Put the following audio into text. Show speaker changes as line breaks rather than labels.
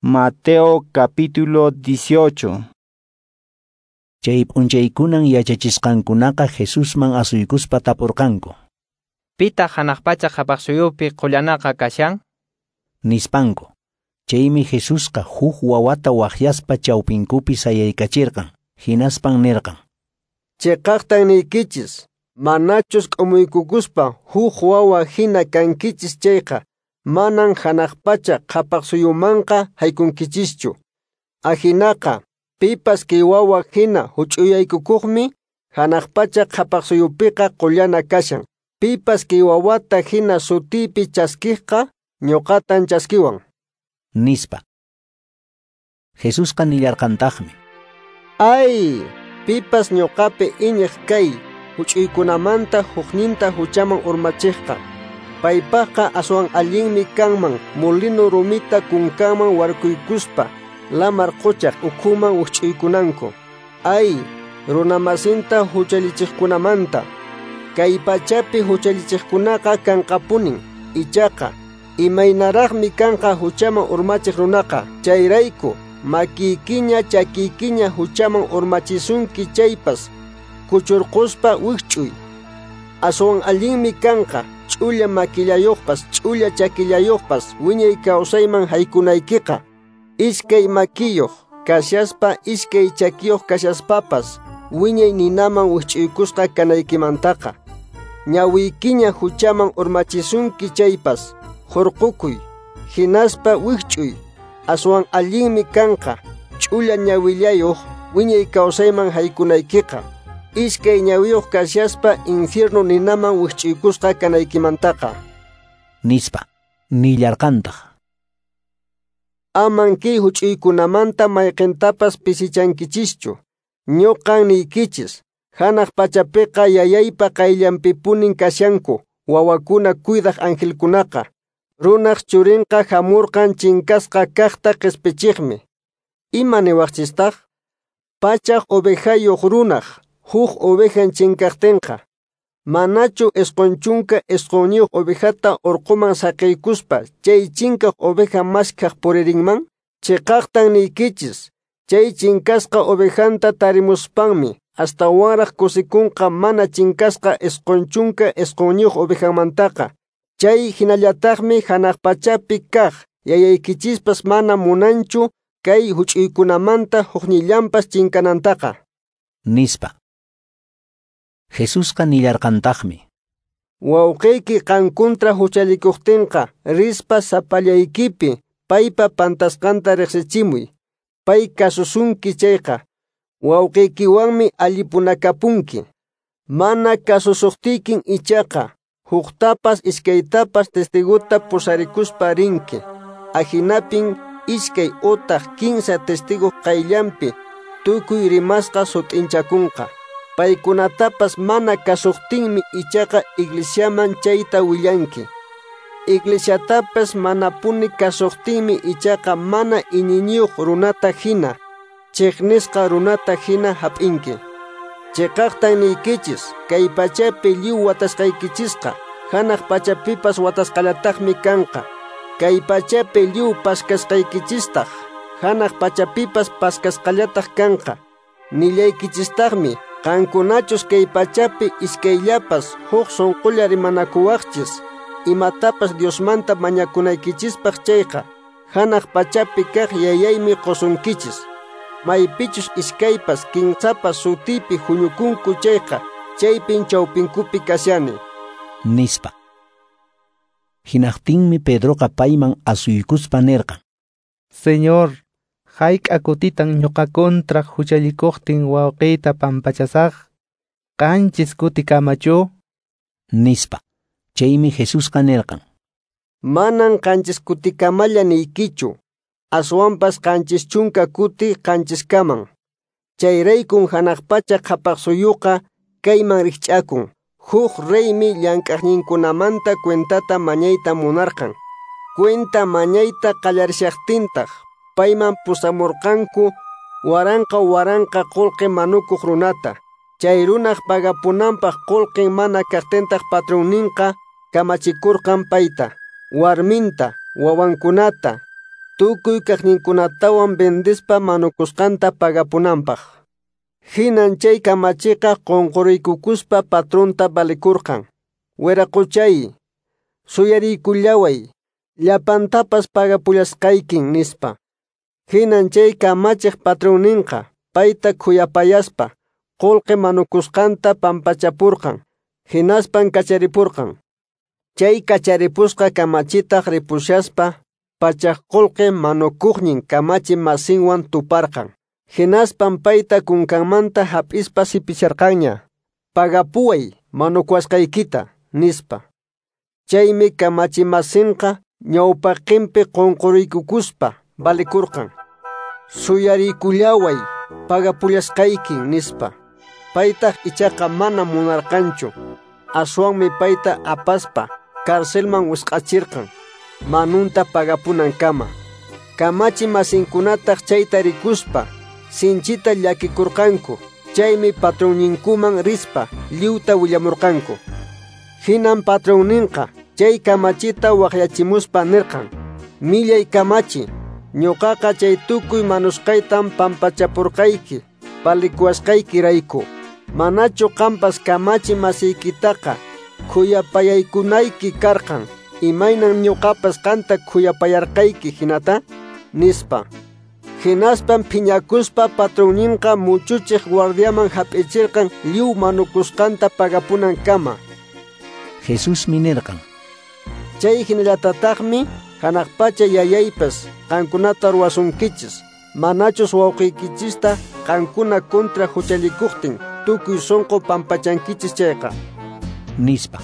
Mateo capítulo 18.
Chay p'unchaykunan yachachisqankunaqa Jesusman asuykuspa tapurqanku.
Pitaq hanaq pacha qhapaqsuyupi qullanaqa kashan?
Nispanku. Chaymi Jesusqa huk wawata waqyaspa chawpinkupi sayaykachirqan, hinaspan nirqan:
Chiqaqtan niykichis, manachus k'umuykukuspa huk wawa hina kankichis chayqa, manan hanaq pacha qhapaqsuyumanqa haykunkichischu. Ahinaqa, pipas kay wawa hina huch'uyaykukuqmi hanaq pacha qhapaqsuyupiqa qullana kashan. Pipas kay wawata hina sutiypi chaskiqqa ñuqatan chaskiwan.
Nispa. Jesusqa nillarqantaqmi:
Ay, pipas ñuqapi iñiq kay huch'uykunamanta hukninta huchaman urmachiqqa, paypaqqa aswan allinmi kanman molino rumita kunkanman warkuykuspa lamar quchaq ukhuman wikch'uykunanku. Ay, runamasinta huchallichiqkunamanta. Kay pachapi huchallichiqkunaqa kanqapunin, ichaqa imaynaraqmi kanqa huchaman urmachiq runaqa. Chayrayku makiykiña chakiykiña huchaman urmachisunki chaypas kuchurquspa wikch'uy. Aswan allinmi kanqa ch'ulla makillayuqpas ch'ulla chakillayuqpas wiñay kawsayman haykunaykiqa, iskay makiyuq kashaspa iskay chakiyuq kashaspapas wiñay ninaman wikch'uykusqa kanaykimantaqa. Ñawiykiña huchaman urmachisunki chaypas hurqukuy, hinaspa wikch'uy. Aswan allinmi kanqa ch'ulla ñawillayuq wiñay kawsayman haykunaykiqa, iskay ñawiyuq kashaspa infierno ninaman wikch'uykusqa kanaykimantaqa.
Nispa. Nillarqantaq:
Aman kay huch'uykunamanta mayqintapas pisichankichischu. Ñuqan niykichis, hanaq pachapiqa yayaypa qayllanpipunin kashanku wawakuna cuidaq angelkunaqa. Runaq churinqa hamurqan chinkasqa kaqta qispichiqmi. Ima niwaqchistaq? Pachaq ovejayuq runaq huk ovejan chinkaqtinqa, manachu 99 ovejata urquman saqiykuspa chay chinkaq oveja maskhaq puririnman? Chiqaqtan niykichis, chay chinkasqa ovejanta tarimuspanmi astawanraq kusikunqa mana chinkasqa 99 ovejanmantaqa. Chay hinallataqmi hanaq pachapi kaq yayaykichispas mana munanchu kay huch'uykunamanta huknillanpas chinkanantaqa.
Nispa. Jesusqa nillarqantaqmi:
Wawqiyki qan kontra huchallikuqtinqa rispa sapallaykipi paypa pantasqanta riqsichimuy. Pay kasusunki chayqa, wawqiykiwanmi allipunakapunki. Mana kasusuqtiykin ichaqa, huktapas iskaytapas testigota pusarikuspa rinki. Ahinapin iskay utaq kinsa testigo qayllanpi tukuy rimasqa sut'inchakunqa. Paykunatapas mana kasuqtinmi ichaqa iglesiaman chayta willanki. Iglesiatapas manapuni kasuqtinmi ichaqa mana iñiyniyuq runata hina, chiqnisqa runata hina hap'inki. Chiqaqtan niykichis, kay pachapi lliw watasqaykichisqa hanaq pachapipas watasqallataqmi kanqa. Kay pachapi lliw paskasqaykichistaq hanaq pachapipas paskasqallataq kanqa. Nillaykichistaqmi, qankunachus kay pachapi iskayllapas huk sunqulla rimanakuwaqchis imatapas Diosmanta mañakunaykichispaq chayqa, hanaq pachapi kaq yayaymi qusunkichis. Maypichus iskaypas kinsapas sutiypi huñukunku chayqa, chaypin chawpinkupi kashani.
Nispa. Hinaqtinmi Pedroqa payman asuykuspa nirqan:
Señor, hayk'a kutitan ñuqa kontra huchallikuqtin wawqiyta pampachasaq? 7 kutikamachu?
Nispa. Chaymi Jesusqa nirqan:
Manan 7 kutikamalla niykichu, aswanpas 70 kuti 7kaman. Chayraykun hanaq pacha qhapaqsuyuqa kayman rikch'akun. Huk reymi llank'aqninkunamanta cuentata mañayta munarqan. Cuenta mañayta qallarishaqtintaq payman pusamurqanku waranqa waranqa qullqi manukuq runata. Chay runaq pagapunanpaq qullqin mana kaqtintaq patronninqa kamachikurqan payta, warminta, wawankunata, tukuy kaqninkunatawan vendespa manukusqanta pagapunanpaq. Hinan chay kamachiqa qunquriykukuspa patronta valikurqan. Wiraquchay, suyariykullaway, llapantapas pagapullasqaykin, nispa. Hinan chay kamachiq patronninqa payta khuyapayaspa qullqi manukusqanta pampachapurqan, hinaspan kacharipurqan. Chay kacharipusqa kamachitaq ripushaspa pachak qullqi manukuqnin kamachi masinwan tuparqan. Hinaspan payta kunkanmanta hap'ispa sipicharqanña. Pagapuway manukuwasqaykita, nispa. Chaymi kamachi masinqa ñawpaqinpi qunquriykukuspa valikurqan. Suyariykullaway, pagapullasqaykin, nispa. Paytaq ichaqa mana munarqanchu. Aswanmi payta apaspa carcelman wisq'achirqan, manunta pagapunankama. Kamachi masinkunataq chayta rikuspa sinchita llakikurqanku. Chaymi patronninkuman rispa lliwta willamurqanku. Hinan patronninqa chay kamachita waqyachimuspa nirqan: Millay kamachi, ñuqaqa chay tukuy manusqaytam pampachapurqayki, palikuwasqaykirayku. Manachu qampas kamachi masiykitaqa khuyapayaykunayki karqan, imaynan ñuqapas qanta khuyapayarqayki hinata, nispa. Hinaspan phiñakuspa patronninqa muchuchiq guardiaman hap'ichirqan lliw manukusqanta pagapunankama.
Jesusmi nirqan:
Chay hinallatataqmi hanaq pacha yayaypas qankunata ruwasunkichis, manachus wawqiykichista qankuna kontra huchallikuqtin tukuy sunqu pampachankichis chayqa,
nispa.